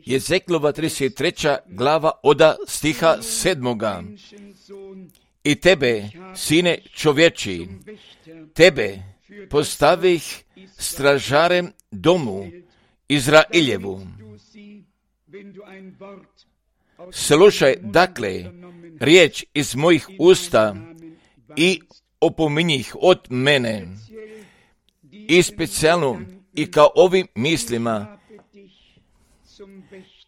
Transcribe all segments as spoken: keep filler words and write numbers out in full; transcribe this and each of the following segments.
Jezeklova trideset treća glava oda stiha sedmoga. I tebe, sine čovječi, tebe postavih stražarem domu Izrailjevu. Slušaj dakle riječ iz mojih usta i opominji ih od mene. I specijalno i kao ovim mislima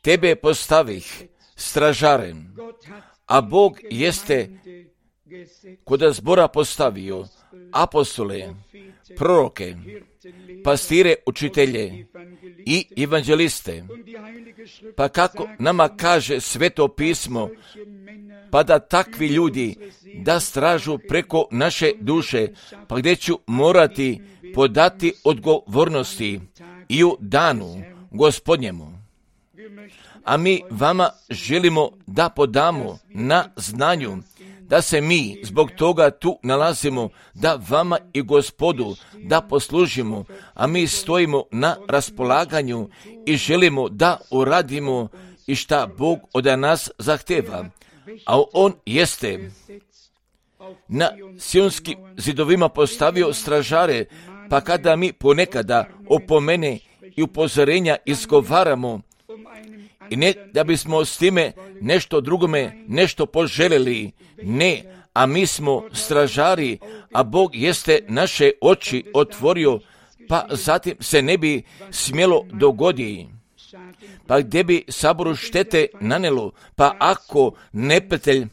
tebe postavih stražarem, a Bog jeste koda zbora postavio apostole, proroke, pastire, učitelje i evanđeliste. Pa kako nama kaže Sveto pismo, pa da takvi ljudi da stražu preko naše duše, pa gdje ću morati podati odgovornosti i u danu Gospodnjemu. A mi vama želimo da podamo na znanju da se mi zbog toga tu nalazimo, da vama i Gospodu da poslužimo, a mi stojimo na raspolaganju i želimo da uradimo i šta Bog od nas zahteva. A On jeste na sionskim zidovima postavio stražare, pa kada mi ponekada opomene i upozorenja izgovaramo, i ne da bismo s time nešto drugome nešto poželjeli, ne, a mi smo stražari, a Bog jeste naše oči otvorio, pa zatim se ne bi smjelo dogoditi. Pa gdje bi saboru štete nanelo, pa ako neprijatelj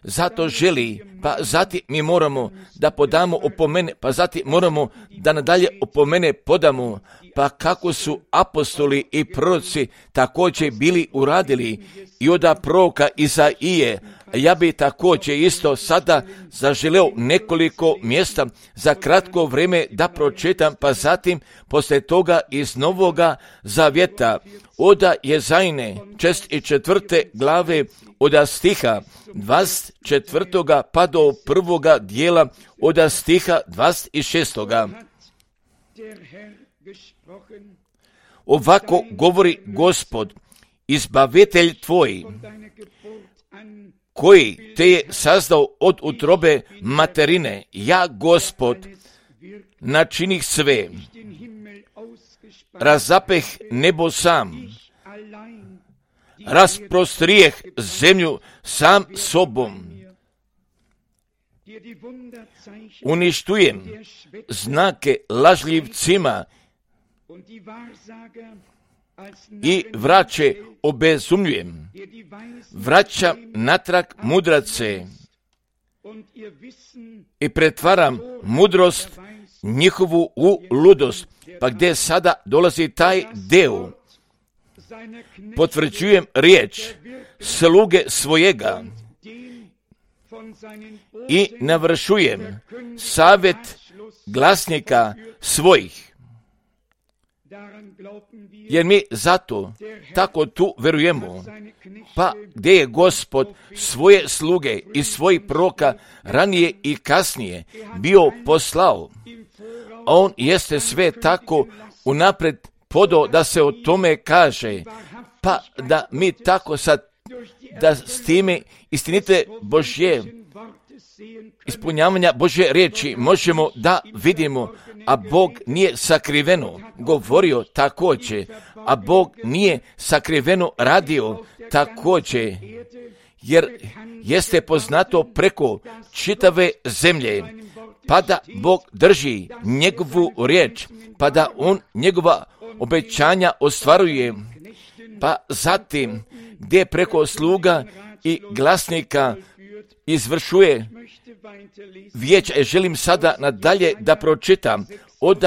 zato želi, pa zatim mi moramo da podamo opomene, pa zatim moramo da nadalje opomene podamo, pa kako su apostoli i proroci također bili uradili i od proroka Izaije. Ja bi također isto sada zaželeo nekoliko mjesta za kratko vrijeme da pročitam, pa zatim poslije toga iz Novoga Zavjeta od Jezajne čest i četvrte glave od stiha dvadeset četvrtoga pa do prvoga dijela od stiha dvadeset šestoga. Ovako govori Gospod, izbavitelj tvoj, koji te je sazdao od utrobe materine, ja Gospod načinih sve, razapeh nebo sam, rasprostrijeh zemlju sam sobom, uništujem znake lažljivcima i vraće obezumljujem, vraćam natrag mudrace i pretvaram mudrost njihovu u ludost. Pa gdje sada dolazi taj deo, potvrđujem riječ sluge svojega i navršujem savjet glasnika svojih. Jer mi zato tako tu verujemo, pa gdje je Gospod svoje sluge i svojih proroka ranije i kasnije bio poslao, On jeste sve tako unaprijed podao da se o tome kaže, pa da mi tako sad, da s time istinite Božje, ispunjavanja Božje riječi možemo da vidimo, a Bog nije sakriveno govorio također, a Bog nije sakriveno radio također, jer jeste poznato preko čitave zemlje, pa da Bog drži njegovu riječ, pa da On njegova obećanja ostvaruje, pa zatim gdje preko sluga i glasnika izvršuje vijeća. Želim sada nadalje da pročitam od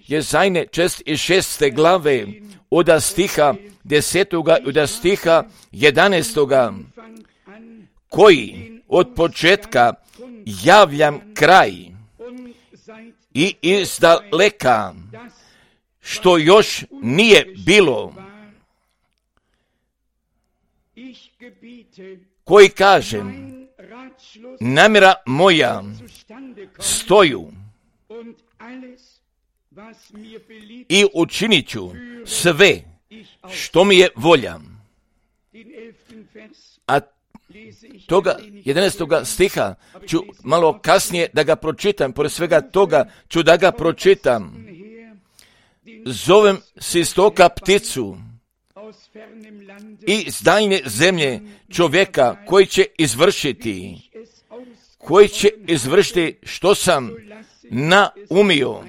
Jezajne čest i šeste glave, od stiha desetoga i od stiha jedanaestoga, koji od početka javljam kraj i izdaleka, što još nije bilo, koji kažem, namjera moja stoju i učinit ću sve što mi je volja. A toga jedanaestoga stiha ću malo kasnije da ga pročitam, pored svega toga ću da ga pročitam. Zovem s istoka pticu i iz daljnje zemlje čovjeka koji će izvršiti, koji će izvršiti što sam naumio.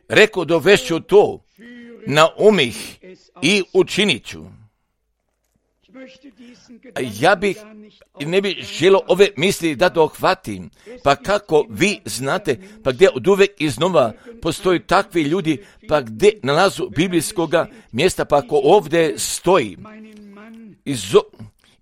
Rekao, dovešću to, naumih i učinit ću. Ja bih, ne bih želio ove misli da dohvatim, pa kako vi znate, pa gdje od uvek iznova postoji takvi ljudi, pa gdje nalazu biblijskoga mjesta, pa ako ovdje stoji, izo,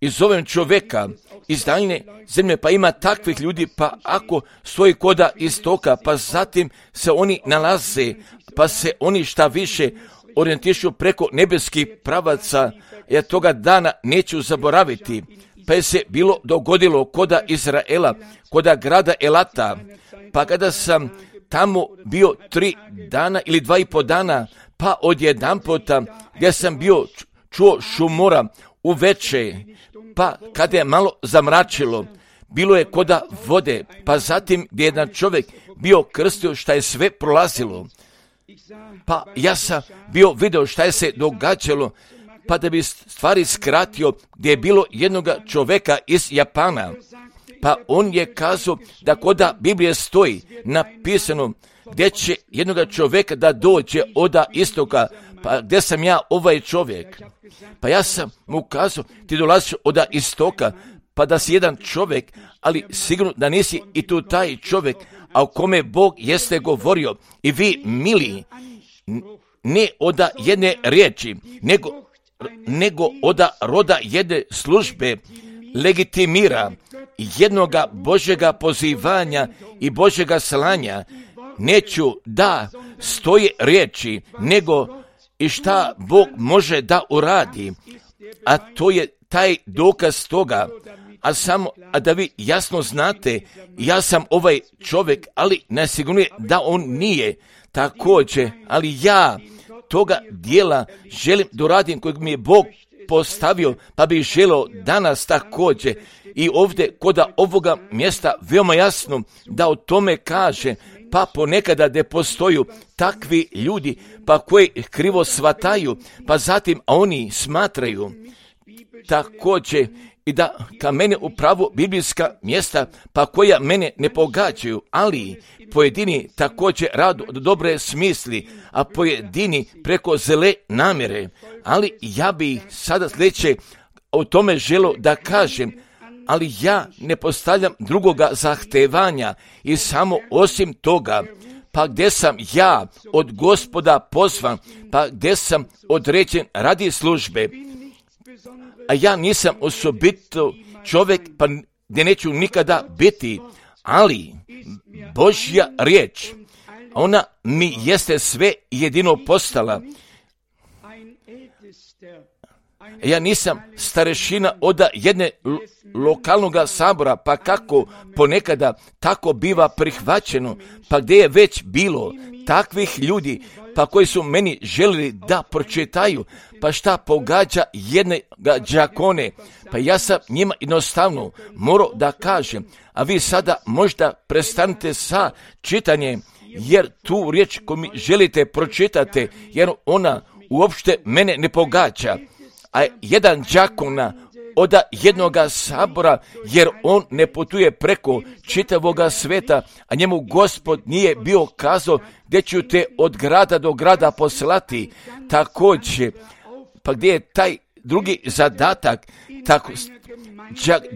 izovem čovjeka iz daljne zemlje, pa ima takvih ljudi, pa ako stoji koda istoka, pa zatim se oni nalaze, pa se oni šta više orijentišu preko nebeskih pravaca, ja toga dana neću zaboraviti, pa je se bilo dogodilo koda Izraela, koda grada Elata, pa kada sam tamo bio tri dana ili dva i po dana, pa odjedan puta gdje sam bio čuo šumora uveče, pa kada je malo zamračilo, bilo je koda vode, pa zatim gdje jedan čovjek bio krstio šta je sve prolazilo. Pa ja sam bio video šta je se događalo, pa da bi stvari skratio, gdje je bilo jednoga čovjeka iz Japana, pa on je kazao da koda Biblije stoji napisano gdje će jednoga čovjeka da dođe oda istoka, pa gdje sam ja ovaj čovjek. Pa ja sam mu kazao, ti dolaziš oda istoka, pa da si jedan čovjek, ali sigurno da nisi i tu taj čovjek, a o kome Bog jeste govorio. I vi, mili, ne oda jedne riječi, nego, nego oda roda jedne službe legitimira jednoga Božjega pozivanja i Božjega slanja. Neću da stoje riječi, nego i šta Bog može da uradi, a to je taj dokaz toga. A samo, a da vi jasno znate, ja sam ovaj čovjek, ali nesigurno je da on nije također, ali ja toga dijela želim da uradim kojeg mi je Bog postavio, pa bih želio danas također i ovdje koda ovoga mjesta veoma jasno da o tome kaže, pa ponekada gdje postoju takvi ljudi, pa koji krivo shvataju, pa zatim oni smatraju također i da ka mene upravo biblijska mjesta, pa koja mene ne pogađaju, ali pojedini također radu od dobre smisli, a pojedini preko zle namjere. Ali ja bih sada sljedeće o tome želio da kažem, ali ja ne postavljam drugoga zahtevanja i samo osim toga, pa gdje sam ja od Gospoda pozvan, pa gdje sam određen radi službe, a ja nisam osobito čovjek, pa gdje neću nikada biti, ali Božja riječ, ona mi jeste sve jedino postala. Ja nisam starešina oda jedne lo- lokalnog sabora, pa kako ponekada tako biva prihvaćeno, pa gdje je već bilo takvih ljudi, pa koji su meni željeli da pročitaju, pa šta pogađa jednoga đakone, pa ja sam njima jednostavno morao da kažem, a vi sada možda prestanite sa čitanjem, jer tu riječ koju mi želite pročitati, jer ona uopšte mene ne pogađa. A jedan đakona oda jednoga sabora, jer on ne putuje preko čitavoga sveta, a njemu Gospod nije bio kazao gdje ću te od grada do grada poslati. Također, pa gdje je taj drugi zadatak, tako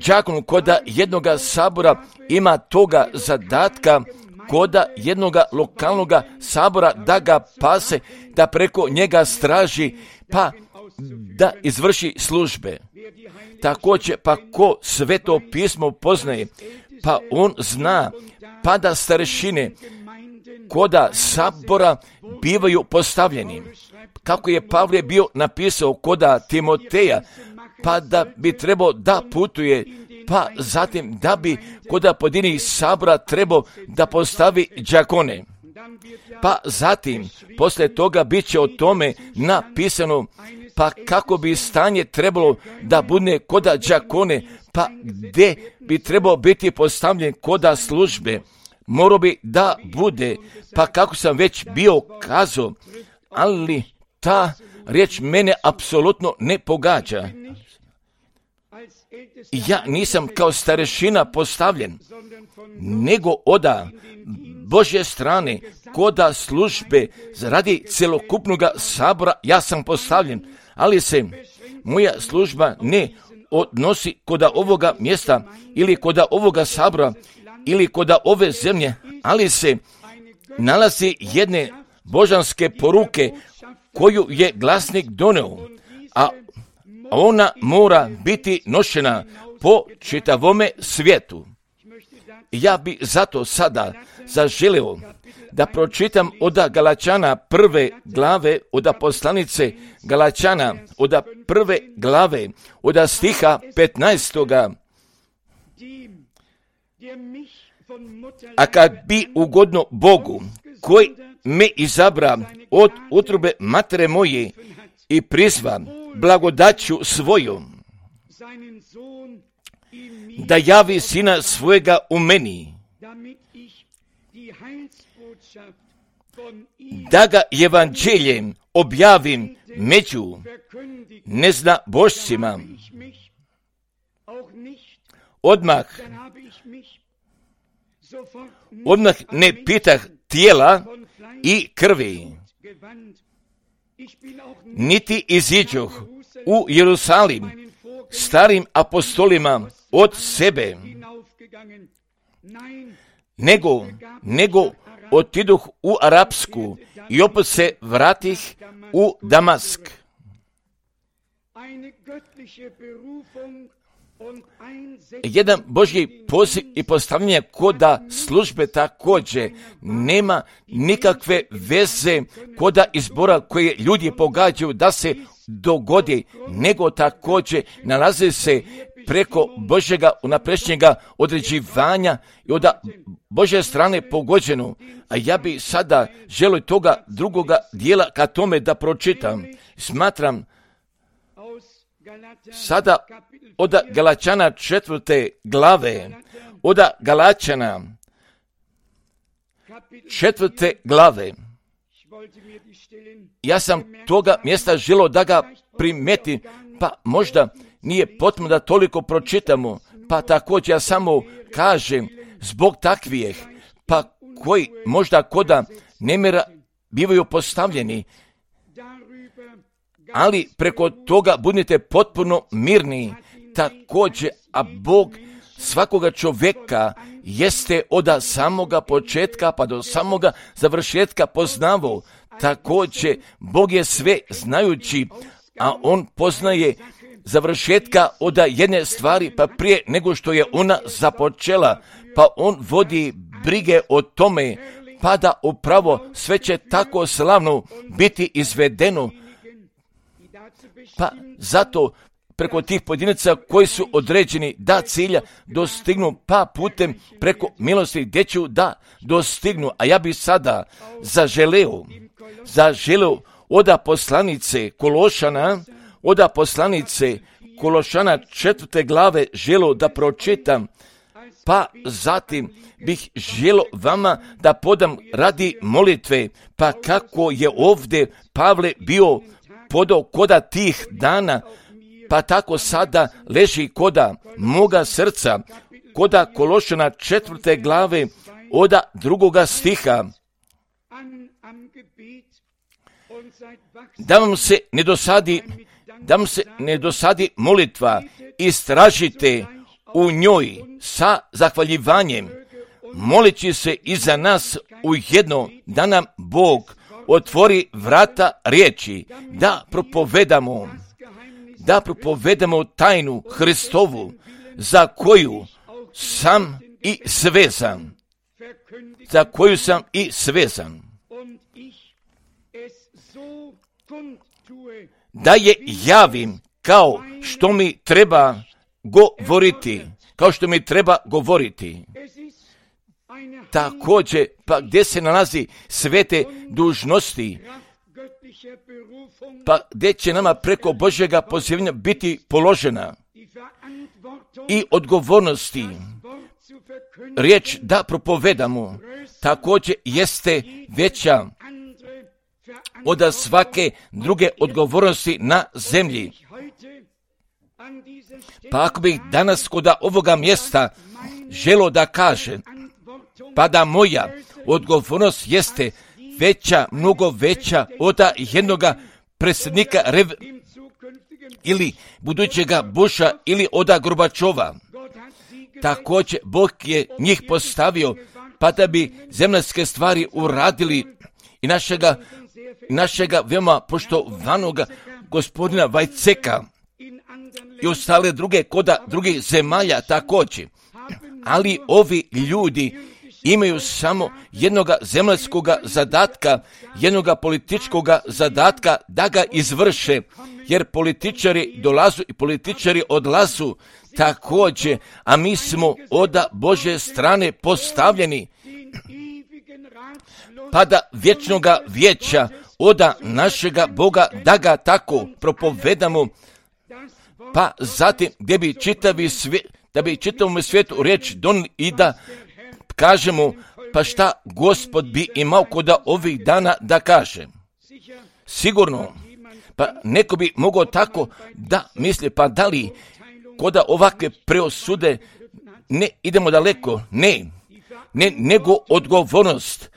đakon koda jednoga sabora ima toga zadatka koda jednoga lokalnog sabora da ga pase, da preko njega straži, pa da izvrši službe. Također, pa ko Sveto pismo poznaje, pa on zna, pa da starešine koda sabora bivaju postavljeni. Kako je Pavle bio napisao koda Timoteja, pa da bi trebao da putuje pa zatim da bi kod pojedinih sabora trebao da postavi đakone. Pa zatim, poslije toga bit će o tome napisano, pa kako bi stanje trebalo da bude koda đakone, pa gdje bi trebao biti postavljen koda službe, morao bi da bude, pa kako sam već bio kazao, ali ta riječ mene apsolutno ne pogađa. Ja nisam kao starešina postavljen, nego oda Božje strane, koda službe, radi celokupnog sabora, ja sam postavljen, ali se moja služba ne odnosi koda ovoga mjesta, ili koda ovoga sabora, ili koda ove zemlje, ali se nalazi jedne božanske poruke koju je glasnik doneo, a ona mora biti nošena po čitavome svijetu. Ja bi zato sada zaželio da pročitam od Galačana prve glave, od poslanice Galačana, od prve glave, od stiha petnaestoga. A kad bi ugodno Bogu, koji me izabra od utrobe matere moje i prizva blagodaću svojom, da javi sina svojega u meni, da ga evanđeljem objavim među neznabošcima. Odmah, odmah ne pitah tijela i krvi, niti iziđoh u Jerusalim starim apostolima od sebe, nego, nego otiduh u Arapsku i opet se vratih u Damask. Jedan Božji poziv i postavljanje koda službe također nema nikakve veze koda izbora koje ljudi pogađaju da se dogodi, nego također nalazi se preko Božjega unapređenjega određivanja i od Božje strane pogođeno. A ja bi sada želio toga drugoga dijela ka tome da pročitam. Smatram sada od Galačana četvrte glave, od Galačana četvrte glave. Ja sam toga mjesta želio da ga primeti, pa možda nije potrebno da toliko pročitamo, pa također ja samo kažem zbog takvih, pa koji možda koda nemira bivaju postavljeni, ali preko toga budite potpuno mirni. Također, a Bog svakoga čovjeka jeste od samoga početka pa do samoga završetka poznavao. Također, Bog je sve znajući, a On poznaje završetka od jedne stvari pa prije nego što je ona započela, pa On vodi brige o tome, pa da upravo sve će tako slavno biti izvedeno. Pa zato preko tih pojedinaca koji su određeni da cilja dostignu, pa putem preko milosti gdje ću da dostignu. A ja bi sada zaželeo, zaželeo od poslanice Kološana, od poslanice Kološana četvrte glave želeo da pročitam, pa zatim bih želio vama da podam radi molitve, pa kako je ovdje Pavle bio podao koda tih dana, pa tako sada leži koda moga srca, koda Kološana četvrte glave od drugoga stiha. Da vam se ne dosadi, da vam se ne dosadi molitva, istražite u njoj sa zahvaljivanjem, molići se i za nas ujedno da nam Bog otvori vrata riječi, da propovedamo, da propovedamo tajnu Hristovu, za koju sam i svezan, za koju sam i svezan. Da je javim kao što mi treba govoriti, kao što mi treba govoriti. Također, pa gdje se nalazi svete dužnosti, pa gdje će nama preko Božjega pozivanja biti položena i odgovornosti. Riječ da propovedamo također jeste veća od svake druge odgovornosti na zemlji. Pa ako bih danas kod ovoga mjesta želo da kaže, pa da moja odgovornost jeste veća, mnogo veća od jednoga predsjednika Rev ili budućega Busha ili od Gorbačova. Također Bog je njih postavio pa da bi zemaljske stvari uradili i našega, našega veoma poštovanoga gospodina Vajceka i ostale druge koda drugih zemalja također. Ali ovi ljudi imaju samo jednoga zemaljskoga zadatka, jednoga političkoga zadatka da ga izvrše, jer političari dolazu i političari odlazu također, a mi smo od Božje strane postavljeni pa da vječnoga vijeća od našega Boga da ga tako propovedamo, pa zatim gdje bi čitavi svijet, da bi čitavom svijetu riječ donijeli i da kažemo, pa šta Gospod bi imao kod ovih dana da kaže. Sigurno, pa neko bi mogao tako da misli, pa da li kod ovakve preosude ne idemo daleko, ne, ne nego odgovornost,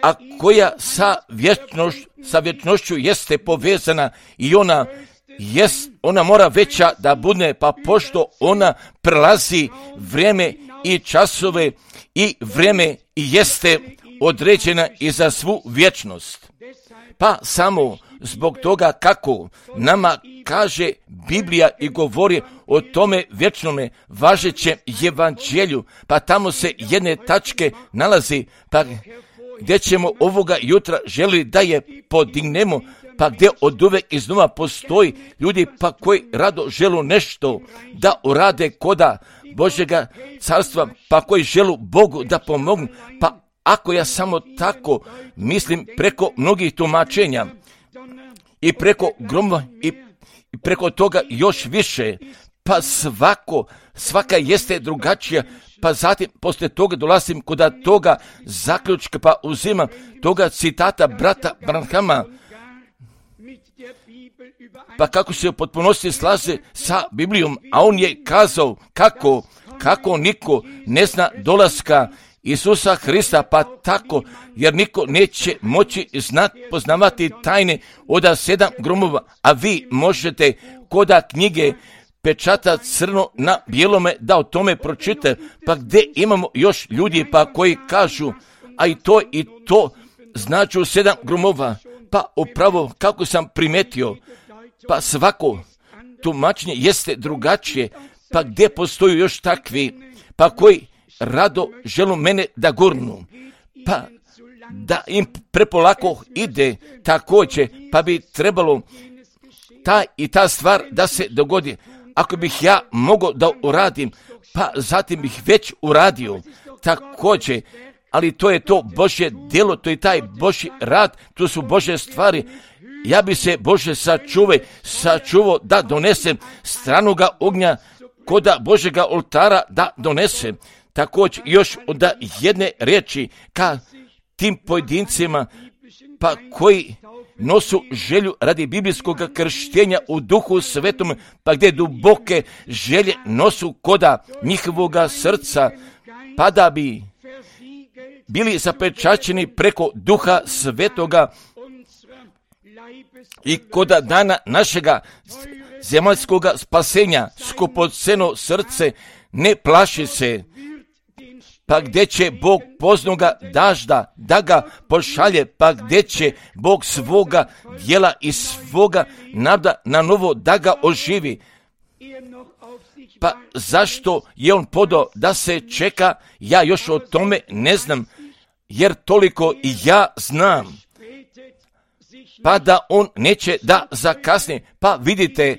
a koja sa, vječnoš, sa vječnošću jeste povezana i ona jest, ona mora veća da bude, pa pošto ona prelazi vrijeme i časove i vrijeme i jeste određena i za svu vječnost. Pa samo zbog toga kako nama kaže Biblija i govori o tome vječnome važećem evanđelju, pa tamo se jedne tačke nalazi, pa gdje ćemo ovoga jutra želi da je podignemo, pa gdje od uvek iznova postoji ljudi pa koji rado želu nešto da urade koda Božjega carstva, pa koji želu Bogu da pomognu, pa ako ja samo tako mislim preko mnogih tumačenja i preko gromova i, i preko toga još više, pa svako, svaka jeste drugačija, pa zatim poslije toga dolazim kod toga zaključka, pa uzimam toga citata brata Branhama, pa kako se u potpunosti slaže sa Biblijom, a on je kazao kako, kako niko ne zna dolaska Isusa Hrista, pa tako, jer niko neće moći znati, poznavati tajne od sedam gromova, a vi možete koda knjige pečata crno na bijelome da o tome pročite, pa gdje imamo još ljudi pa koji kažu, a i to i to znači sedam gromova, pa upravo kako sam primetio, pa svako tumačenje jeste drugačije, pa gdje postoju još takvi, pa koji rado želu mene da gurnu, pa da im prepolako ide također, pa bi trebalo ta i ta stvar da se dogodi. Ako bih ja mogao da uradim, pa zatim bih već uradio također, ali to je to Božje djelo, to je taj Božji rad, to su Božje stvari. Ja bi se Bože sačuvaj, sačuvao da donesem stranoga ognja koda Božjega oltara da donesem. Također još od jedne riječi ka tim pojedincima pa koji nosu želju radi biblijskog krštenja u duhu svetom, pa gdje duboke želje nosu koda njihovoga srca, pa da bi bili zapečaćeni preko duha svetoga i koda dana našega zemaljskoga spasenja skupoceno srce ne plaši se, pa gdje će Bog poznoga dažda da ga pošalje, pa gdje će Bog svoga djela i svoga nada na novo da ga oživi. Pa zašto je on podao da se čeka, ja još o tome ne znam, jer toliko i ja znam, pa da on neće da zakasni. Pa vidite,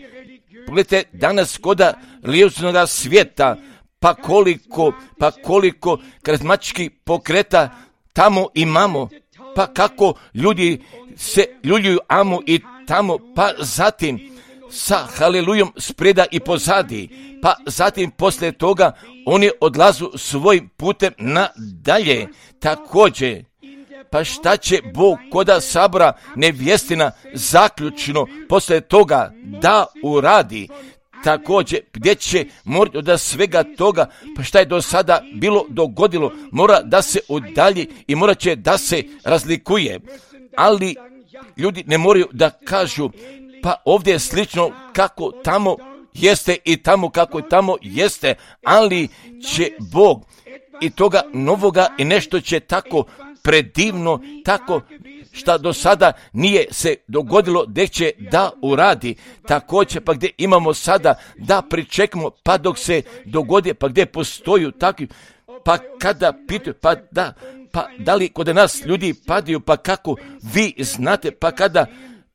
pogledajte danas koda religijskoga svijeta, pa koliko, pa koliko karizmatičkih pokreta tamo imamo, pa kako ljudi se ljuljuju amo i tamo, pa zatim sa halelujom spreda i pozadi, pa zatim poslije toga oni odlazu svojim putem nadalje. Također, pa šta će Bog koda sabora nevjestina zaključno poslije toga da uradi? Također, gdje će morati od svega toga, pa šta je do sada bilo dogodilo, mora da se udalji i mora će da se razlikuje. Ali ljudi ne moraju da kažu, pa ovdje je slično kako tamo jeste i tamo kako tamo jeste, ali će Bog i toga novoga i nešto će tako predivno, tako šta do sada nije se dogodilo, gdje će da uradi. Također, pa gdje imamo sada da pričekamo, pa dok se dogodi, pa gdje postoju takvi, pa kada pitaju, pa da, pa da li kod nas ljudi padaju, pa kako vi znate, pa kada,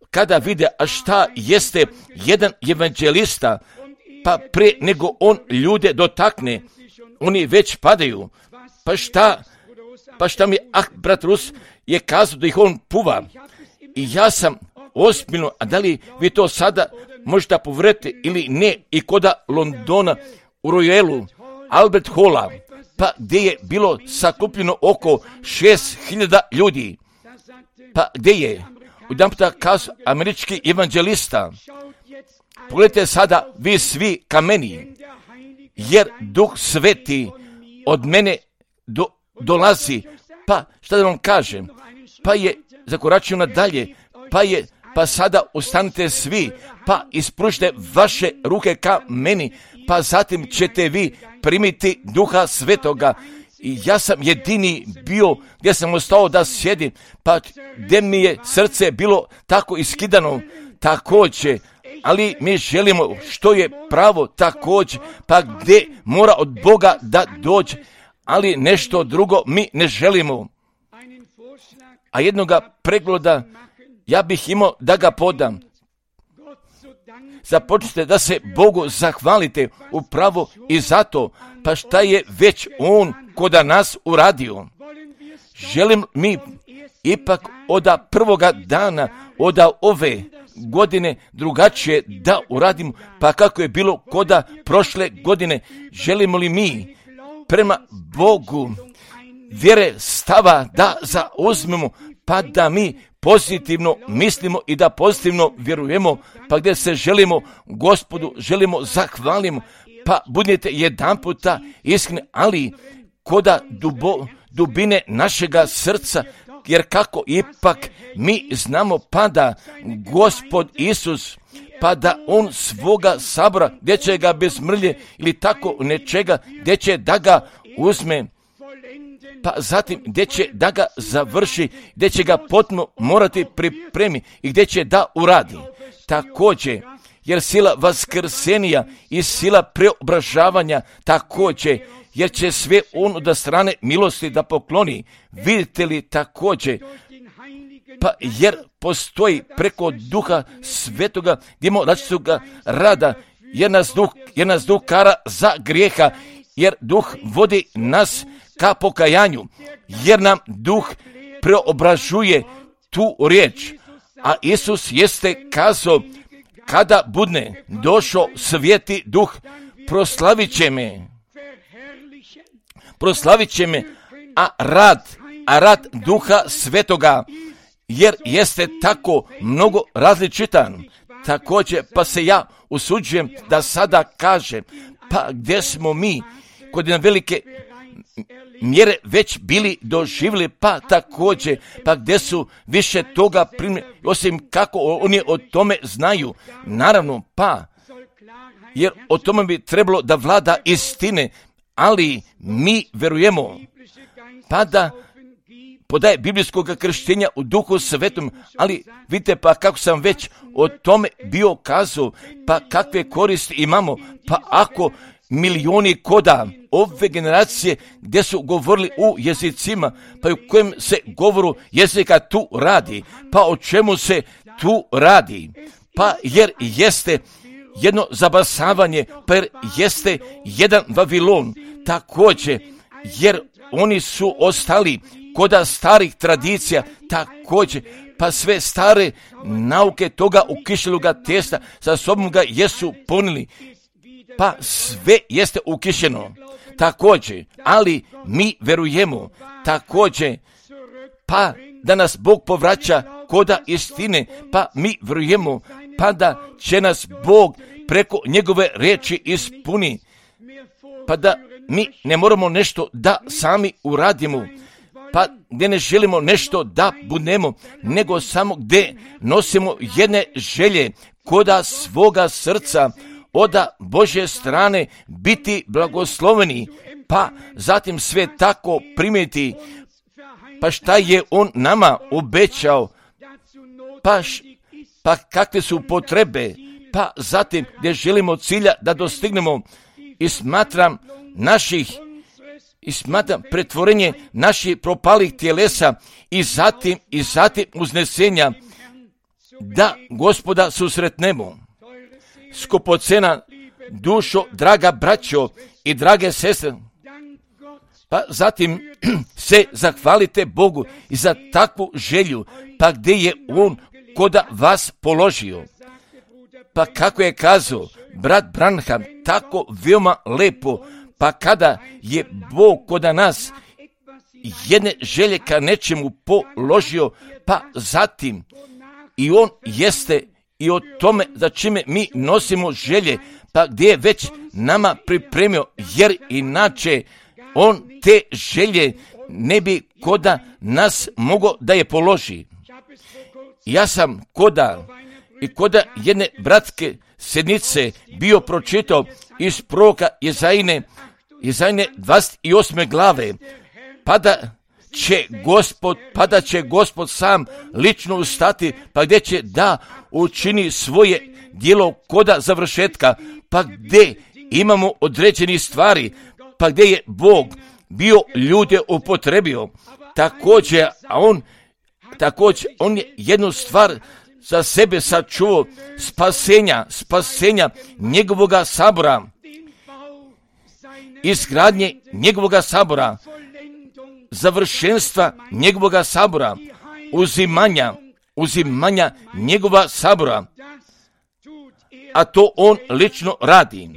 kada vide, a šta jeste jedan evanđelista, pa pre nego on ljude dotakne, oni već padaju. Pa šta, pa šta mi, ah, brat Rus je kazao da ih on puva. I ja sam ozbiljno, a da li vi to sada možete povjeriti ili ne, i koda Londona u Royalu, Albert Halla, pa gdje je bilo sakupljeno oko šest hiljada ljudi. Pa gdje je? Jedan puta kazao američki evanđelista, pogledajte sada vi svi ka meni, jer Duh Sveti od mene do, dolazi. Pa šta da vam kažem? Pa je zakoračio nadalje, pa je, pa sada ustanite svi, pa ispružite vaše ruke ka meni, pa zatim ćete vi primiti Duha Svetoga. I ja sam jedini bio gdje sam ostao da sjedim, pa gdje mi je srce bilo tako iskidano također, ali mi želimo što je pravo također, pa gdje mora od Boga da dođe, ali nešto drugo mi ne želimo. A jednoga pregloda ja bih imao da ga podam. Započnite da se Bogu zahvalite upravo i zato, pa šta je već On koda nas uradio. Želim mi ipak od prvoga dana, od ove godine drugačije da uradimo, pa kako je bilo koda prošle godine. Želimo li mi prema Bogu vjere stava da zauzmemo, pa da mi pozitivno mislimo i da pozitivno vjerujemo, pa gdje se želimo Gospodu, želimo zahvalimo, pa budete jedan puta iskreni, ali koda dubo, dubine našega srca, jer kako ipak mi znamo pa da Gospod Isus, pa da On svoga sabora, gdje će ga bez mrlje ili tako nečega, gdje će da ga uzme, pa zatim gdje će da ga završi, gdje će ga potpuno morati pripremi i gdje će da uradi. Također, jer sila vaskrsenija i sila preobražavanja također, jer će sve on od strane milosti da pokloni. Vidite li također, pa jer postoji preko Duha Svetoga, gdje imamo različitoga rada, jer nas duh, jer nas duh kara za grijeha, jer duh vodi nas ka pokajanju, jer nam duh preobražuje tu riječ. A Isus jeste kazao, kada budne došao sveti duh, proslavit će me, proslavit će me, a rad, a rad Duha Svetoga, jer jeste tako mnogo različitan. Također, pa se ja usuđujem da sada kažem, pa gdje smo mi kod jedne velike mjere već bili doživjeli, pa također, pa gdje su više toga primili, osim kako oni o tome znaju. Naravno, pa, jer o tome bi trebalo da vlada istine, ali mi verujemo, pa da podaje biblijskog krštenja u Duhu Svetom, ali vidite pa kako sam već o tome bio kazao, pa kakve koristi imamo, pa ako milioni koda ove generacije gdje su govorili u jezicima, pa u kojem se govoru jezika tu radi, pa o čemu se tu radi, pa jer jeste jedno zabasavanje, pa jeste jedan Vavilon također, jer oni su ostali koda starih tradicija također, pa sve stare nauke toga ukišeloga testa sa sobom ga jesu punili, pa sve jeste ukišeno također, ali mi verujemo također, pa da nas Bog povraća koda istine, pa mi verujemo, pa da će nas Bog preko njegove riječi ispuni, pa da mi ne moramo nešto da sami uradimo, pa gdje ne želimo nešto da budemo, nego samo gdje nosimo jedne želje koda svoga srca oda Božje strane biti blagosloveni, pa zatim sve tako primiti, pa šta je On nama obećao, pa, š, pa kakve su potrebe, pa zatim gdje želimo cilja da dostignemo, i smatram naših i smatram pretvorenje naših propalih tjelesa i zatim i zatim uznesenja da Gospoda susretnemo. Skupocena dušo, draga braćo i drage sestre, pa zatim se zahvalite Bogu i za takvu želju, pa gdje je On koda vas položio. Pa kako je kazao brat Branham, tako veoma lepo, pa kada je Bog koda nas jedne želje ka nečemu položio, pa zatim i On jeste i o tome za čime mi nosimo želje, pa gdje je već nama pripremio, jer inače On te želje ne bi koda nas mogo da je položi. Ja sam koda i koda jedne bratske sednice bio pročitao iz proroka Jezajine, Jezajine dvadeset osme glave, pa da će Gospod, pa da će Gospod sam lično ustati, pa gdje će da učini svoje djelo koda završetka, pa gdje imamo određeni stvari, pa gdje je Bog bio ljude upotrebio. Također, a on, također, on je jednu stvar za sebe sačuvao, spasenja, spasenja njegovoga sabora, izgradnje njegovoga sabora, završenstva njegovoga sabora, uzimanja, uzimanja njegova sabora, a to on lično radi.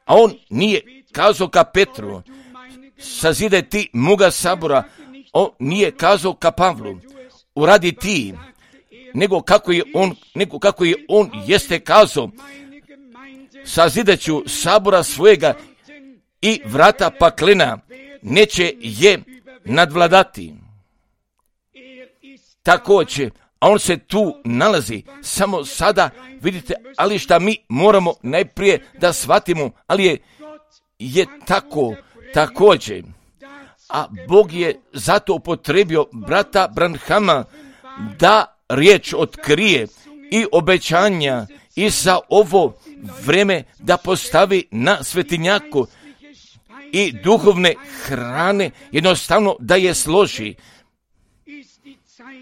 A on nije kazao ka Petru, sazidaj ti moga sabora, on nije kazao ka Pavlu, uradi ti, nego kako je on, nego kako je on jeste kazao, sazidaću sabora svojega i vrata paklena neće je nadvladati. Također, a on se tu nalazi, samo sada vidite, ali šta mi moramo najprije da shvatimo, ali je, je tako također. A Bog je zato upotrebio brata Branhama da riječ otkrije i obećanja i za ovo vreme da postavi na svetinjaku i duhovne hrane jednostavno da je složi.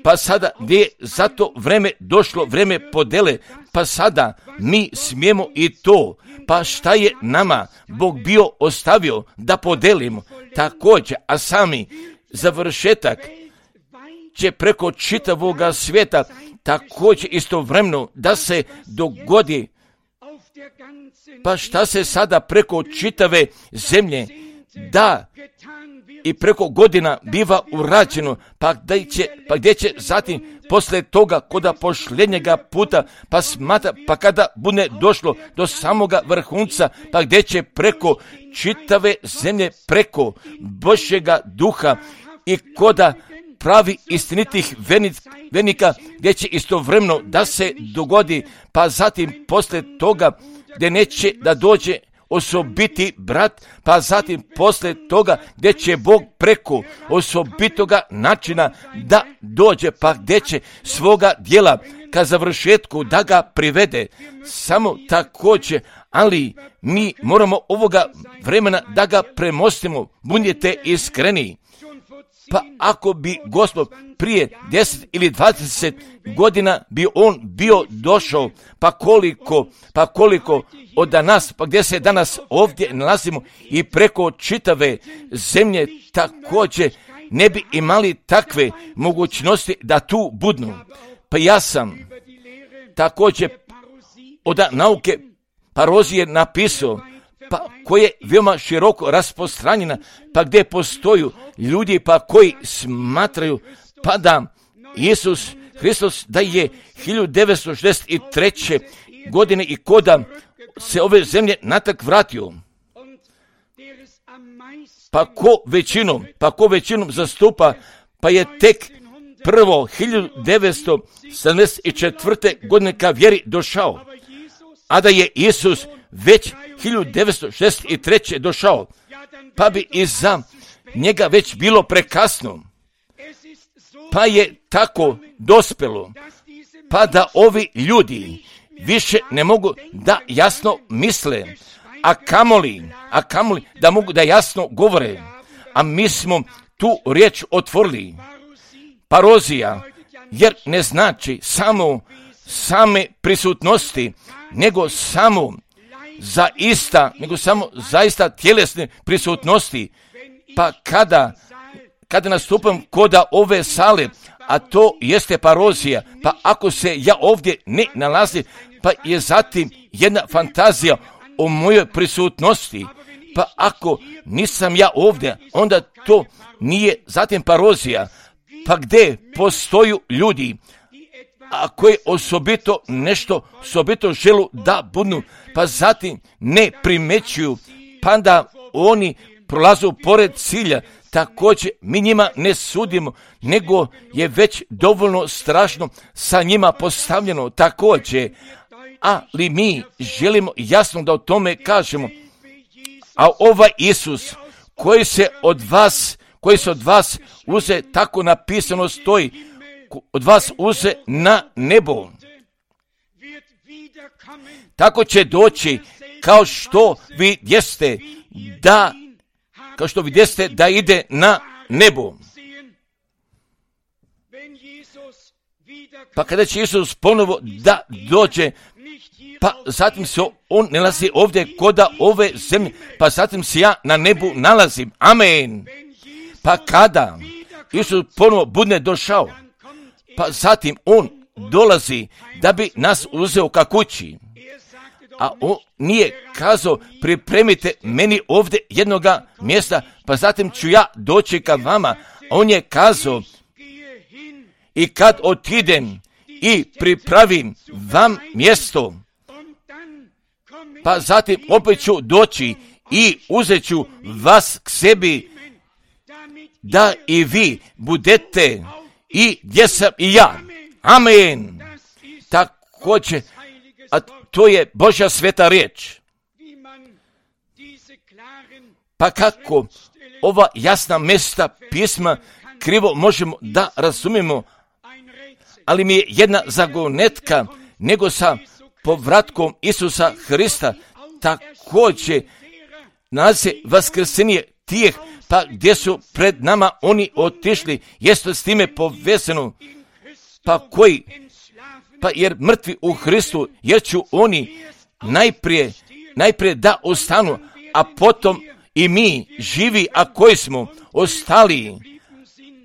Pa sada gdje je za to vreme došlo vreme podele, pa sada mi smijemo i to. Pa šta je nama Bog bio ostavio da podelimo također, a sami završetak će preko čitavoga svijeta također istovremeno da se dogodi. Pa šta se sada preko čitave zemlje da i preko godina biva urađeno, pa gdje će, pa gdje će zatim posle toga koda pošljednjega puta, pa smatra, pa kada bude došlo do samoga vrhunca, pa gdje će preko čitave zemlje, preko Božjega duha i koda pravi istinitih venika, gdje će istovremeno da se dogodi, pa zatim posle toga gdje neće da dođe osobiti brat, pa zatim posle toga gdje će Bog preko osobitoga načina da dođe, pa gdje će svoga djela ka završetku da ga privede. Samo također, ali mi moramo ovoga vremena da ga premostimo, budite iskreni. Pa ako bi Gospod prije deset ili dvadeset godina bi on bio došao, pa koliko, pa koliko od danas, pa gdje se danas ovdje nalazimo i preko čitave zemlje također ne bi imali takve mogućnosti da tu budnu. Pa ja sam također od nauke parozije napisao, pa koje je veoma široko rasprostranjena, pa gdje postoju ljudi pa koji smatraju pa da Isus Hristos da je hiljadu devetsto šezdeset treće godine i koda se ove zemlje natrag vratio. Pa ko većinom, pa ko većinom zastupa, pa je tek prvo hiljadu devetsto sedamdeset četvrte godine ka vjeri došao, a da je Isus već hiljadu devetsto šezdeset treće došao, pa bi i za njega već bilo prekasno. Pa je tako dospelo, pa da ovi ljudi više ne mogu da jasno misle, a kamoli, a kamoli da mogu da jasno govore. A mi smo tu riječ otvorili, parozija, jer ne znači samo same prisutnosti, nego samo zaista, nego samo zaista tjelesne prisutnosti. Pa kada, kada nastupam koda ove sale, a to jeste parozija, pa ako se ja ovdje ne nalazim, pa je zatim jedna fantazija o mojoj prisutnosti, pa ako nisam ja ovdje, onda to nije zatim parozija. Pa gdje postoju ljudi, a koji osobito nešto osobito želu da budu, pa zatim ne primećuju, pa da oni prolazu pored cilja, također mi njima ne sudimo, nego je već dovoljno strašno sa njima postavljeno također, ali mi želimo jasno da o tome kažemo. A ovaj Isus koji se od vas, koji se od vas uze, tako napisano stoji, od vas uze na nebo, tako će doći kao što vi jeste da kao što vi jeste da ide na nebo. Pa kada će Isus ponovo da dođe, pa zatim se on nalazi ovdje koda ove zemlje, pa zatim se ja na nebu nalazim. Amen. Pa kada Isus ponovo bude došao, pa zatim on dolazi da bi nas uzeo ka kući. A on nije kazao, pripremite meni ovdje jednoga mjesta, pa zatim ću ja doći ka vama. On je kazao, i kad otidem i pripravim vam mjesto, pa zatim opet ću doći i uzet ću vas k sebi, da i vi budete i gdje sam i ja. Amen. Također, a to je Božja sveta riječ. Pa kako ova jasna mjesta pisma krivo možemo da razumijemo, ali mi je jedna zagonetka, nego sa povratkom Isusa Hrista također nalazi vaskrsenje tijeh, pa gdje su pred nama oni otišli, jeste s time povezano, pa koji, pa jer mrtvi u Hristu, jer ću oni najprije, najprije da ostanu, a potom i mi živi, a koji smo ostali,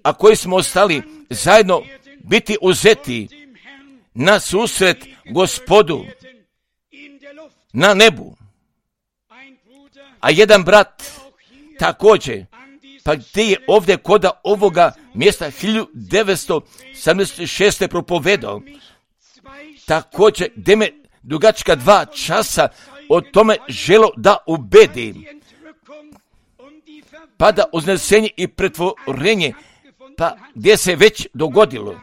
a koji smo ostali zajedno biti uzeti na susret Gospodu na nebu. A jedan brat također, pa gdje je ovdje koda ovoga mjesta hiljadu devetsto sedamdeset šeste propovedao, također gdje me dugačka dva časa o tome želo da ubedi, pa da uznesenje i pretvorenje, pa gdje se već dogodilo,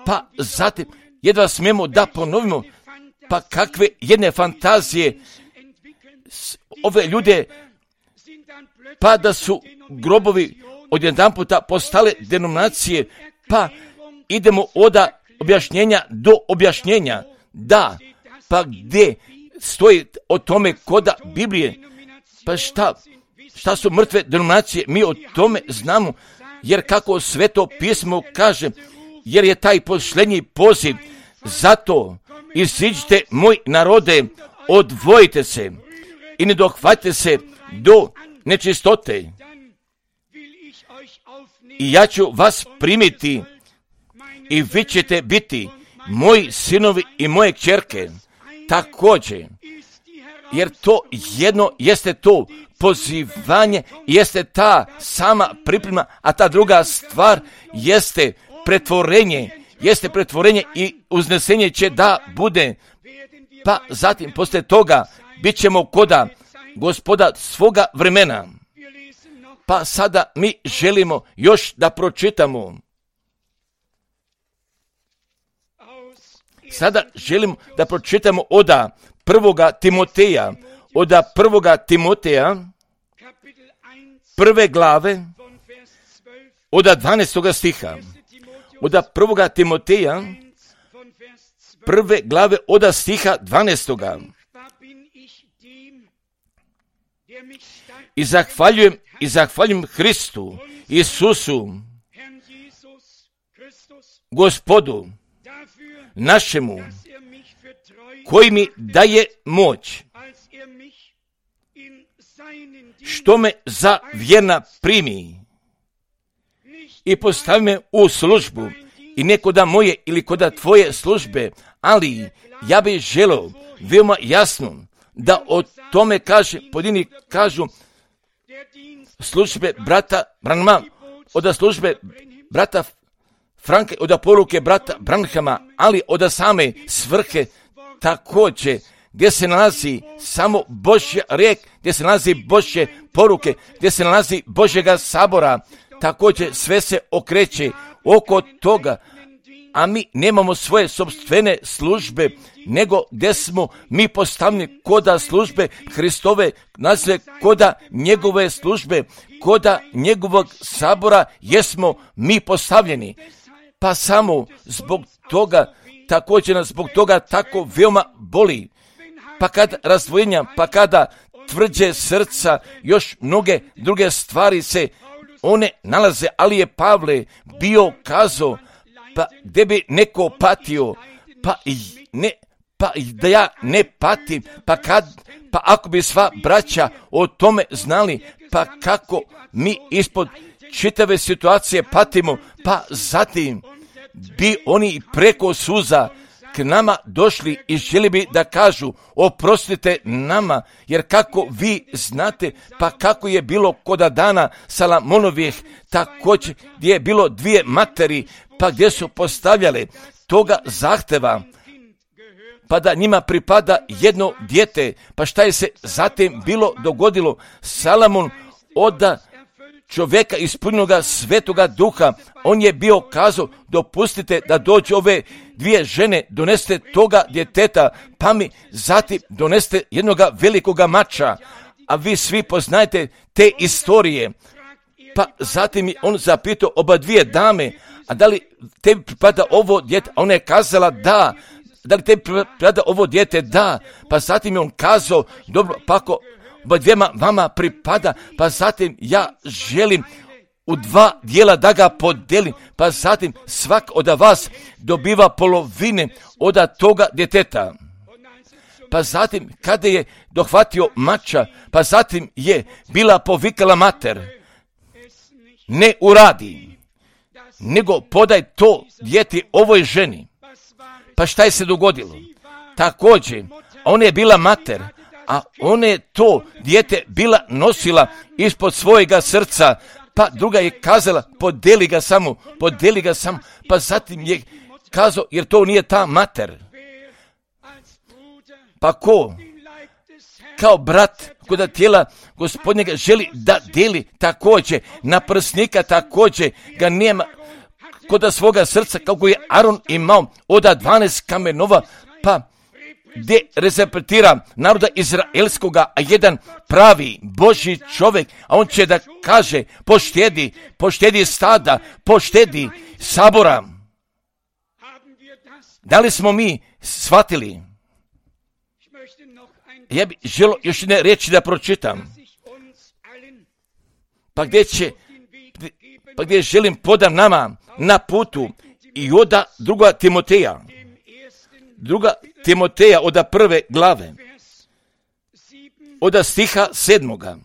pa zatim jedva smijemo da ponovimo, pa kakve jedne fantazije ove ljude, pa da su grobovi odjedanputa postale denominacije, pa idemo od objašnjenja do objašnjenja, da, pa gdje stoji o tome koda Biblije, pa šta, šta su mrtve denominacije, mi o tome znamo, jer kako Sveto pismo kaže, jer je taj posljednji poziv, zato iziđite moj narode, odvojite se i ne dohvatite se do nečistote. I ja ću vas primiti i vi ćete biti moji sinovi i moje kćerke također. Jer to jedno jeste to pozivanje, jeste ta sama priprema, a ta druga stvar jeste pretvorenje, jeste pretvorenje i uznesenje će da bude. Pa zatim poslije toga bit ćemo koda Gospoda svoga vremena. Pa sada mi želimo još da pročitamo. Sada želimo da pročitamo oda prvoga Timoteja, oda prvoga Timoteja, prve glave, oda dvanaestoga stiha. Oda prvoga Timoteja, prve glave, oda stiha dvanaestoga. I zahvaljujem, i zahvaljujem Hristu, Isusu, Gospodu, našemu, koji mi daje moć, što me za vjerna primi i postavi me u službu, i ne koda moje ili koda tvoje službe, ali ja bih želio veoma jasno da o tome kaže, pojedini kažu službe brata Branhama, od službe brata Franke, od poruke brata Branhama, ali od same svrhe također, gdje se nalazi samo Božja riječ, gdje se nalazi Božje poruke, gdje se nalazi Božjega sabora, također sve se okreće oko toga, a mi nemamo svoje sopstvene službe, nego gdje smo mi postavljeni koda službe Hristove, nazive koda njegove službe, koda njegovog sabora jesmo mi postavljeni. Pa samo zbog toga, također nas zbog toga tako veoma boli. Pa kad razdvojenja, pa kada tvrđe srca, još mnoge druge stvari se one nalaze, ali je Pavle bio kazao, pa gdje bi neko patio, pa ne, pa da ja ne patim, pa kad, pa ako bi sva braća o tome znali, pa kako mi ispod čitave situacije patimo, pa zatim bi oni preko suza k nama došli i želi bi da kažu oprostite nama, jer kako vi znate, pa kako je bilo koda dana Salamonovih, također gdje je bilo dvije materi, pa gdje su postavljale toga zahteva, pa da njima pripada jedno dijete, pa šta je se zatim bilo dogodilo? Salamon oda čovjeka ispunjenoga Svetoga Duha, on je bio kazao, dopustite da dođu ove dvije žene, doneste toga djeteta, pa mi zatim doneste jednoga velikoga mača, a vi svi poznajete te istorije. Pa zatim je on zapitao oba dvije dame, a da li tebi pripada ovo dijete? A ona je kazala da. Da li tebi pripada ovo dijete? Da. Pa zatim je on kazao, dobro, pa ako oba dvijema vama pripada, pa zatim ja želim u dva dijela da ga podelim, pa zatim svak od vas dobiva polovine od toga djeteta. Pa zatim kada je dohvatio mača, pa zatim je bila povikala mater, ne uradi, nego podaj to dijete ovoj ženi. Pa šta je se dogodilo? Također, ona je bila mater, a ona je to dijete bila nosila ispod svojega srca, pa druga je kazala, podeli ga samo, podeli ga samo, pa zatim je kazao, jer to nije ta mater. Pa ko? Kao brat koda tijela Gospodnjega želi da deli također, na prsnika također ga nema koda svoga srca, kako je Aron imao oda dvanaest kamenova, pa gdje reprezentira naroda izraelskoga, a jedan pravi Božji čovjek, a on će da kaže, poštedi, poštedi stada, poštedi sabora. Da li smo mi shvatili? Ja bih želio još ne reći da pročitam. Pa gdje će, pa gdje želim podam nama na putu i oda druga Timoteja, druga Timoteja oda prve glave, oda stiha sedmoga,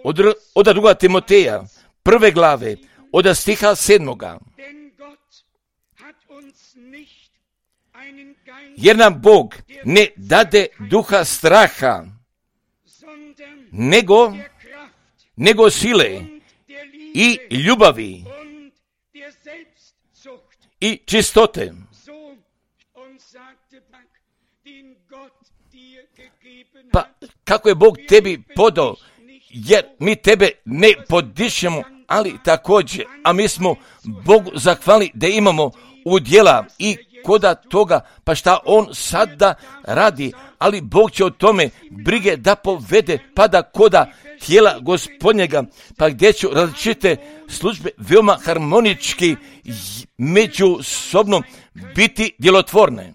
od, oda druga Timoteja prve glave, oda stiha sedmoga. Jer nam Bog ne dade duha straha, nego, nego sile i ljubavi i čistote. Pa kako je Bog tebi podao, jer mi tebe ne podišemo, ali također, a mi smo Bogu zahvali da imamo udjela i koda toga, pa šta on sada radi, ali Bog će o tome brige da povede, pa da koda tijela Gospodnjega, pa gdje će različite službe veoma harmonički međusobno biti djelotvorne.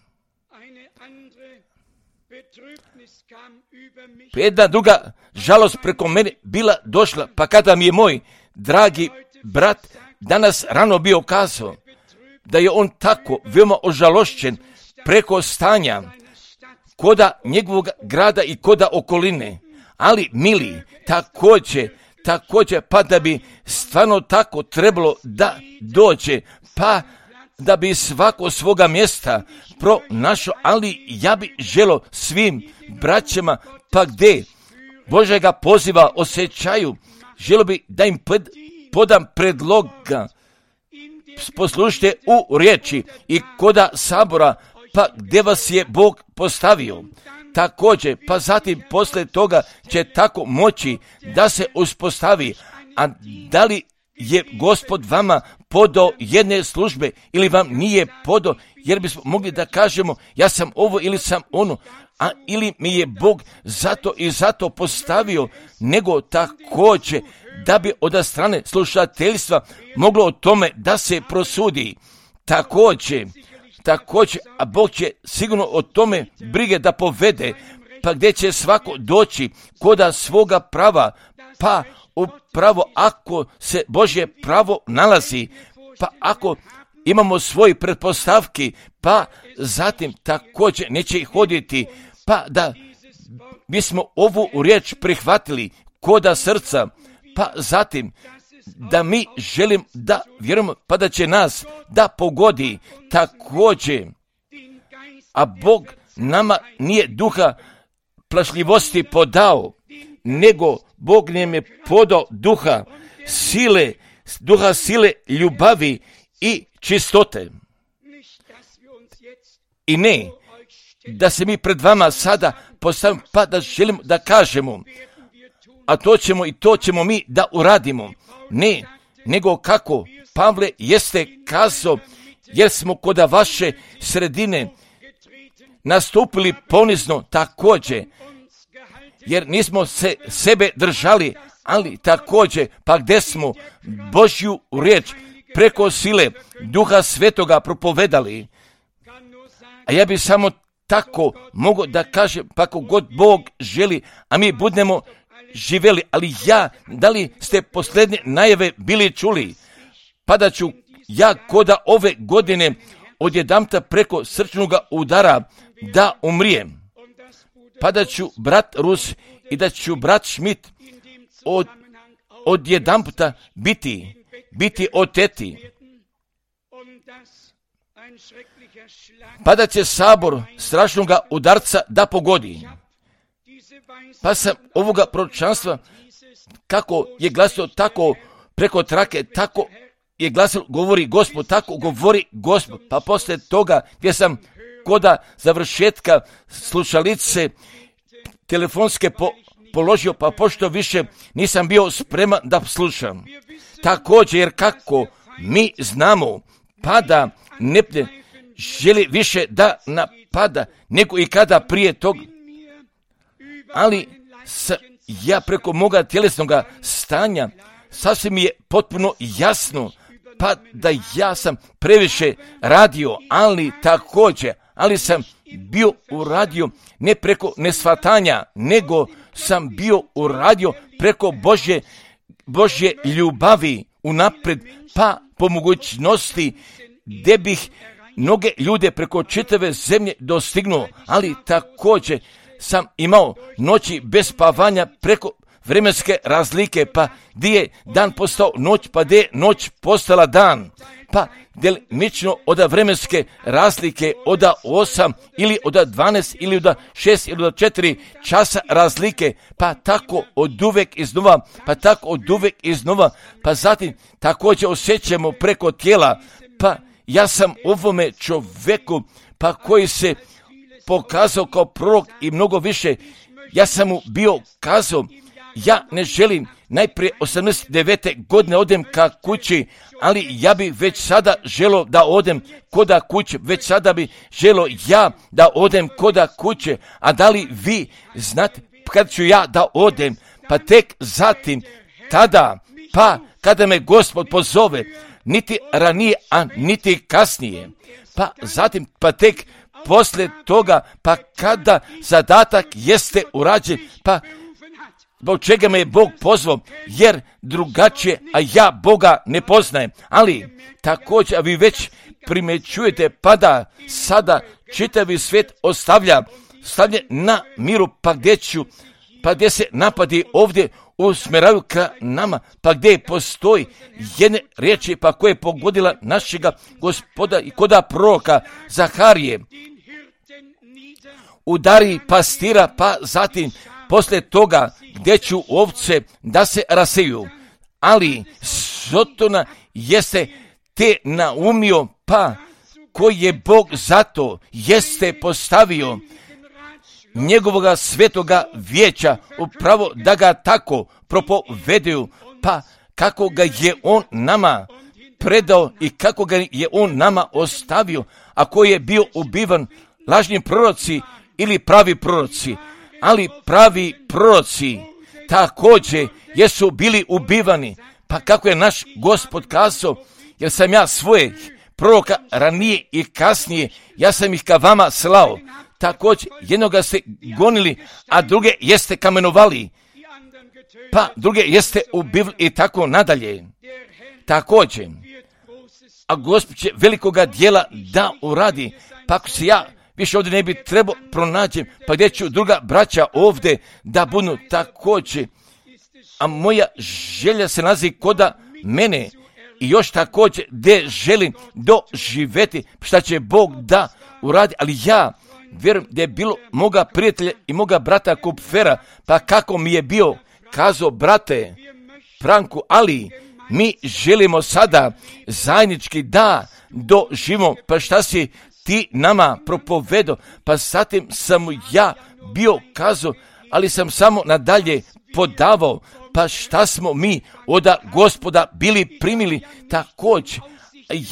Jedna druga žalost preko mene bila došla, pa kada mi je moj dragi brat danas rano bio kazao da je on tako veoma ožalošćen preko stanja koda njegovog grada i koda okoline. Ali, mili, također, također, pa da bi stvarno tako trebalo da dođe, pa da bi svako svoga mjesta pronašao, ali ja bi želo svim braćama, pa gdje Božega poziva osjećaju, želo bi da im podam predloga, poslušajte u riječi i koda sabora, pa gdje vas je Bog postavio. Također, pa zatim poslije toga će tako moći da se uspostavi, a da li je Gospod vama podao jedne službe ili vam nije podao, jer bismo mogli da kažemo ja sam ovo ili sam ono, a ili mi je Bog zato i zato postavio, nego također da bi od strane slušateljstva moglo o tome da se prosudi. Također, također, a Bog će sigurno o tome brige da povede, pa gdje će svako doći koda svoga prava, pa upravo ako se Božje pravo nalazi, pa ako imamo svoje pretpostavki, pa zatim također neće ih hoditi, pa da bismo ovu riječ prihvatili koda srca, pa zatim da mi želim da vjerujemo, pa da će nas da pogodi također, a Bog nama nije duha plašljivosti podao, nego Bog nam je podao duha sile, duha sile, ljubavi i čistote. I ne, da se mi pred vama sada postavimo, pa da želimo da kažemo, a to ćemo i to ćemo mi da uradimo. Ne, nego kako Pavle jeste kazao, jer smo kod vaše sredine nastupili ponizno također, jer nismo se sebe držali, ali također, pa gdje smo Božju riječ preko sile Duha Svetoga propovedali. A ja bi samo tako mogu da kažem, pa kako god Bog želi, a mi budemo živjeli, ali ja, da li ste posljednje najave bili čuli, pa da ću ja koda ove godine odjedanputa preko srčnog udara da umrijem, pa da ću brat Rus i da ću brat Schmidt od, odjedanputa biti, biti oteti, pa da će sabor strašnog udarca da pogodi. Pa sam ovoga proročanstva, kako je glasio, tako preko trake, tako je glasio, govori Gospod, tako govori Gospod. Pa poslije toga gdje sam koda završetka slušalice telefonske po, položio, pa pošto više nisam bio spreman da slušam. Također, jer kako mi znamo, pada ne želi više da napada, nego i kada prije toga. Ali sa, ja preko moga tjelesnog stanja sasvim mi je potpuno jasno, pa da ja sam previše radio, ali također, ali sam bio uradio ne preko nesvatanja, nego sam bio uradio preko Božje, Božje ljubavi unaprijed, pa po mogućnosti gdje bih mnoge ljude preko čitave zemlje dostignuo, ali također sam imao noći bez spavanja preko vremenske razlike, pa gdje je dan postao noć, pa gdje je noć postala dan, pa delimično od vremenske razlike od osam ili od dvanaest ili od šest ili od četiri časa razlike, pa tako od uvek iznova, pa tako od uvek iznova, pa zatim također osjećamo preko tijela, pa ja sam ovome čovjeku, pa koji se pokazao kao prorok i mnogo više, ja sam mu bio kazao, ja ne želim najprije osamdeset devete godine odem ka kući, ali ja bi već sada želo da odem koda kuće, već sada bi želo ja da odem koda kuće, a da li vi znate kad ću ja da odem, pa tek zatim tada, pa kada me Gospod pozove, niti ranije, a niti kasnije, pa zatim, pa tek poslije toga, pa kada zadatak jeste urađen, pa zbog čega me je Bog pozvao, jer drugačije, a ja Boga ne poznajem. Ali također, a vi već primjećujete, pa da sada čitavi svijet ostavlja, stavlja na miru, pa gdje ću, pa gdje se napadi ovdje usmjeravaju ka nama, pa gdje postoji jedne riječi, pa koje je pogodila našega Gospoda i koda proroka Zaharije. Udari pastira, pa zatim poslije toga gdje ću ovce da se raseju. Ali Sotona jeste te naumio, pa koji je Bog zato jeste postavio njegovoga svetoga vijeća upravo da ga tako propoveduju, pa kako ga je on nama predao i kako ga je on nama ostavio, a koji je bio ubivan lažni proroci ili pravi proroci, ali pravi proroci također jesu bili ubivani, pa kako je naš Gospod kazao, jer sam ja svoje proroka ranije i kasnije, ja sam ih ka vama slao, također jednoga ste gonili, a druge jeste kamenovali, pa druge jeste ubivali i tako nadalje. Također, a Gospod će velikoga dijela da uradi, pa ako se ja više ovdje ne bi trebao pronađem, pa gdje ću druga braća ovdje da budu također, a moja želja se nalazi koda mene i još također gdje želim doživjeti šta će Bog da uradi, ali ja vjerujem da je bilo moga prijatelja i moga brata Kupfera, pa kako mi je bio kazao, brate Franku, ali mi želimo sada zajednički da doživimo, pa šta si ti nama propovedo, pa zatim sam ja bio kazao, ali sam samo nadalje podavao, pa šta smo mi od Gospoda bili primili također.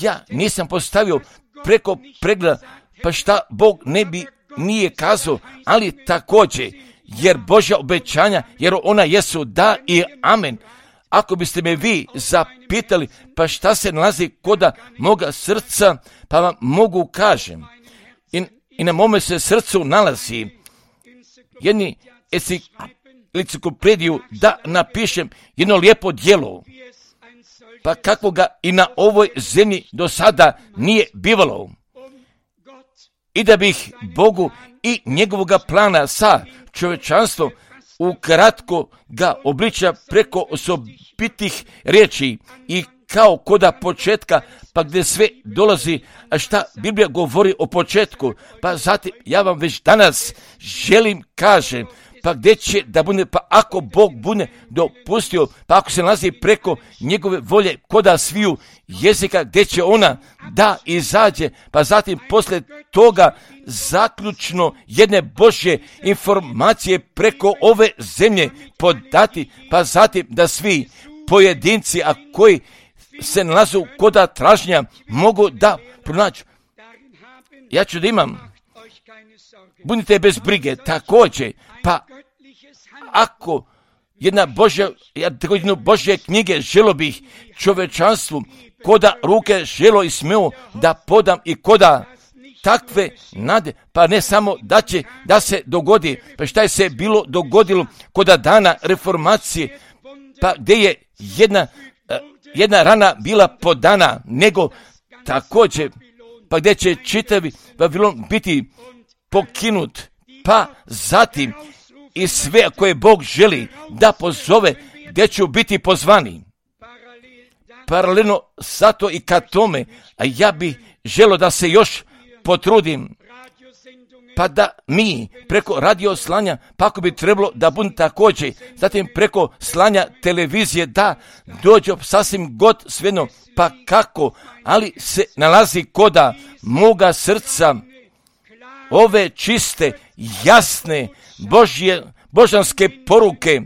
Ja nisam postavio preko pregleda, pa šta Bog ne bi nije kazao, ali također, jer Božja obećanja, jer ona jesu da i amen. Ako biste me vi zapitali, pa šta se nalazi koda moga srca, pa vam mogu kažem. I, i na mome se srcu nalazi jedni enciklopediju da napišem jedno lijepo djelo, pa kako ga i na ovoj zemlji do sada nije bivalo. I da bih Bogu i njegovoga plana sa čovječanstvom ukratko ga obliča preko osobitih riječi i kao koda početka, pa gdje sve dolazi, a šta Biblija govori o početku, pa zatim ja vam već danas želim kažem, pa gdje će da bude, pa ako Bog bude dopustio, pa ako se nalazi preko njegove volje koda sviju jezika, gdje će ona da izađe, pa zatim poslije toga zaključno jedne Božje informacije preko ove zemlje podati, pa zatim da svi pojedinci, a koji se nalazu koda tražnja, mogu da pronađu. Ja ću da imam, budite bez brige, također, pa ako jedna Božja, jednu Božje knjige želo bih čovečanstvu koda ruke želo i smeo da podam i koda takve nade, pa ne samo da će da se dogodi, pa šta je se bilo dogodilo koda dana reformacije, pa gdje je jedna jedna rana bila podana, nego također, pa gdje će čitavi Vavilon biti pokinut, pa zatim i sve koje Bog želi da pozove, gdje ću biti pozvani. Paralelno zato i ka tome, a ja bih želio da se još potrudim, pa da mi preko radio slanja, pa ako bi trebalo da budu također, zatim preko slanja televizije, da dođe sasvim god svejedno, pa kako, ali se nalazi koda moga srca ove čiste, jasne, Božje, božanske poruke,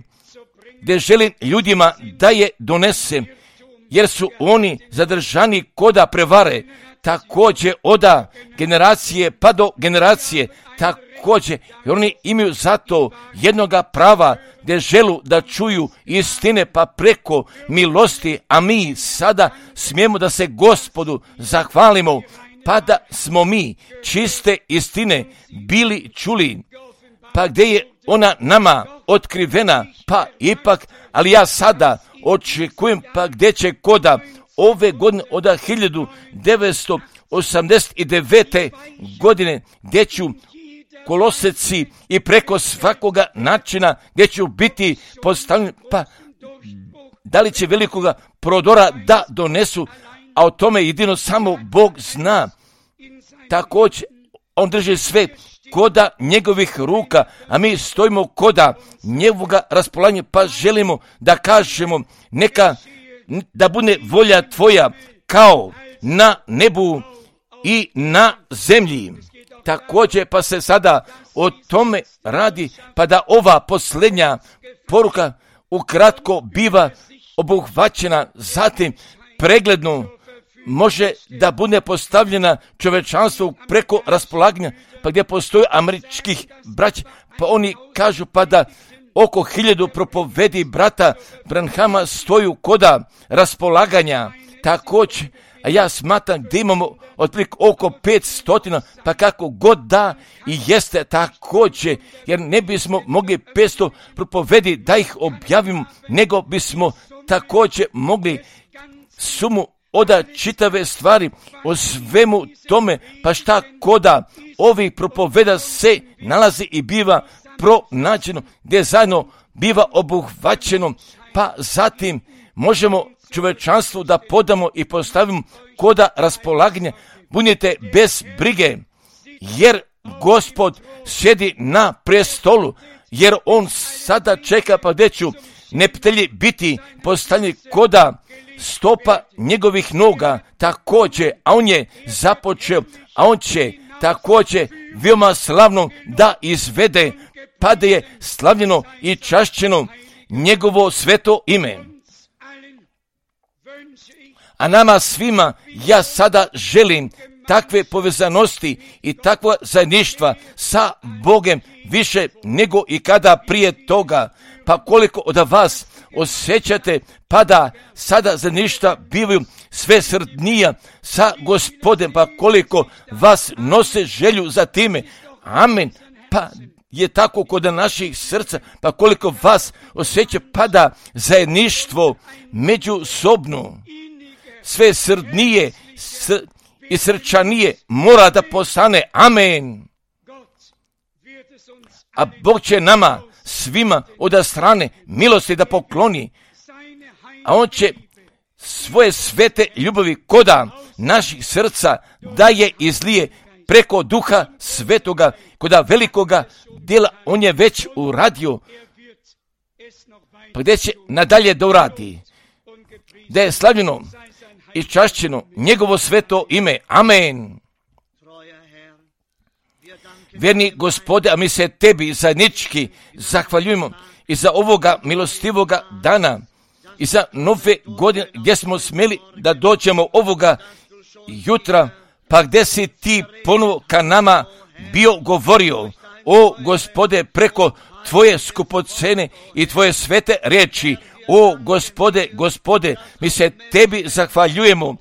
gdje želim ljudima da je donesem, jer su oni zadržani koda prevare, također oda generacije pa do generacije, također, jer oni imaju zato jednoga prava, gdje želu da čuju istine, pa preko milosti, a mi sada smijemo da se Gospodu zahvalimo, pa da smo mi čiste istine bili čuli, pa gdje je ona nama otkrivena, pa ipak, ali ja sada očekujem, pa gdje će koda ove godine od hiljadu devetsto osamdeset devete. godine, gdje ću koloseci i preko svakoga načina gdje ću biti postavljen, pa da li će velikoga prodora da donesu, a o tome jedino samo Bog zna. Također, on drži sve koda njegovih ruka, a mi stojimo koda njegovoga raspolaganja, pa želimo da kažemo, neka da bude volja tvoja kao na nebu i na zemlji. Također, pa se sada o tome radi, pa da ova posljednja poruka ukratko biva obuhvaćena, zatim pregledno može da bude postavljena čovečanstvu preko raspolaganja, pa gdje postoji američkih braća, pa oni kažu pa da oko hiljadu propovedi brata Branhama stoju koda raspolaganja, također, a ja smatram da imamo otprilike oko pet stotina, pa kako god da i jeste također, jer ne bismo mogli petsto propovedi da ih objavimo, nego bismo također mogli sumu oda čitave stvari o svemu tome, pa šta koda ovih propoveda se nalazi i biva pronađeno, gdje zajedno biva obuhvaćeno, pa zatim možemo čovečanstvu da podamo i postavimo koda raspolaganja. Budite bez brige, jer Gospod sjedi na prestolu, jer on sada čeka, pa gdje ću neptelji biti postavljeni koda stopa njegovih noga, također, a on je započeo, a on će također veoma slavno da izvede, pa da je slavljeno i čašćeno njegovo sveto ime. A nama svima ja sada želim takve povezanosti i takva zajedništva sa Bogem više nego i kada prije toga. Pa koliko od vas osjećate, pa da sada zajedništva bivaju sve srdnija sa Gospodem, pa koliko vas nose želju za time. Amen. Pa je tako kod naših srca, pa koliko vas osjeća, pa da zajedništvo međusobno sve srdnije s, i srčanije mora da postane. Amen. A Bog će nama svima od strane milosti da pokloni, a on će svoje svete ljubavi koda naših srca da je izlije preko Duha Svetoga, koda velikoga djela on je već uradio, pa gdje će nadalje da uradi, da je slavljeno i čašćeno njegovo sveto ime. Amen. Vjerni Gospode, a mi se tebi zajednički zahvaljujemo i za ovoga milostivoga dana i za nove godine gdje smo smjeli da dođemo ovoga jutra, pa gdje si ti ponovo ka nama bio govorio, o Gospode, preko tvoje skupocene i tvoje svete riječi. O Gospode, Gospode, mi se tebi zahvaljujemo,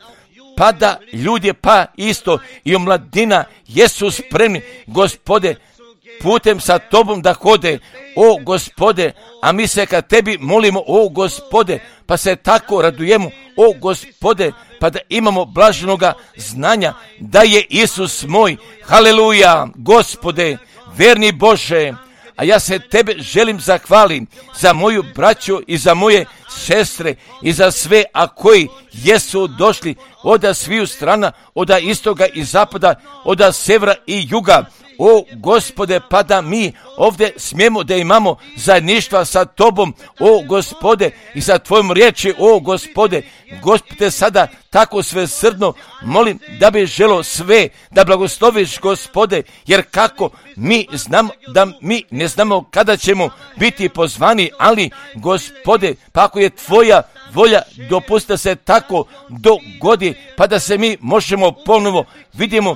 pa da ljudi pa isto i omladina jesu spremni, Gospode, putem sa tobom da hode, o Gospode, a mi se ka tebi molimo, o Gospode, pa pa se tako radujemo, o Gospode, pa da imamo blaženoga znanja da je Isus moj. Haleluja, Gospode, verni Bože, a ja se Tebe želim zahvalim za moju braću i za moje sestre i za sve, a koji jesu došli od sviju strana, od istoga i zapada, od severa i juga. O Gospode, pa da mi ovdje smijemo da imamo zajedništva sa Tobom, o Gospode, i sa Tvojom riječi, o Gospode. Gospode, sada tako svesrdno molim da bi želo sve da blagosloviš, Gospode, jer kako mi znamo da mi ne znamo kada ćemo biti pozvani, ali Gospode, pa ako je Tvoja volja, dopusti da se tako dogodi, pa da se mi možemo ponovo vidimo.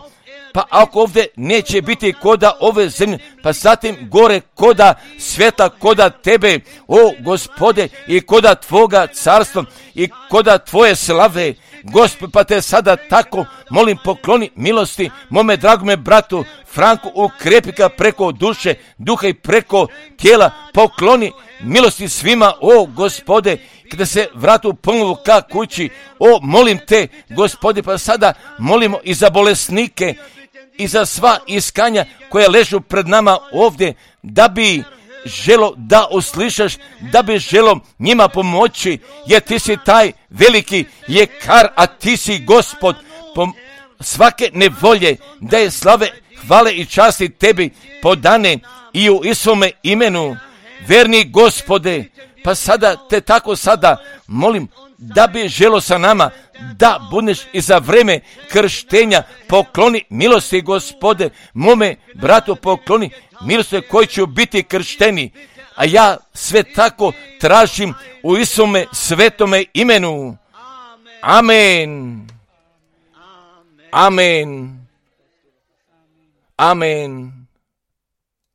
Pa ako ovdje neće biti koda ove zemlje, pa zatim gore koda sveta, koda Tebe, o Gospode, i koda Tvoga carstva i koda Tvoje slave. Gospod, pa Te sada tako molim, pokloni milosti mome dragome bratu Franku, ukrepi ga preko duše, duha i preko tijela. Pokloni milosti svima, o Gospode, kada se vratu ponovo ka kući. O, molim Te, Gospode, pa sada molimo i za bolesnike i za sva iskanja koja ležu pred nama ovdje, da bi želo da uslišaš, da bi želo njima pomoći, jer Ti si taj veliki ljekar, a Ti si Gospod pom- svake nevolje, da je slave, hvale i časti Tebi podane i u Isome imenu. Verni Gospode, pa sada Te tako sada molim da bi želo sa nama da budeš i za vreme krštenja. Pokloni milosti, Gospode, mome bratu pokloni milosti koji će biti kršteni, a ja sve tako tražim u Isome svetome imenu. Amen. Amen. Amen.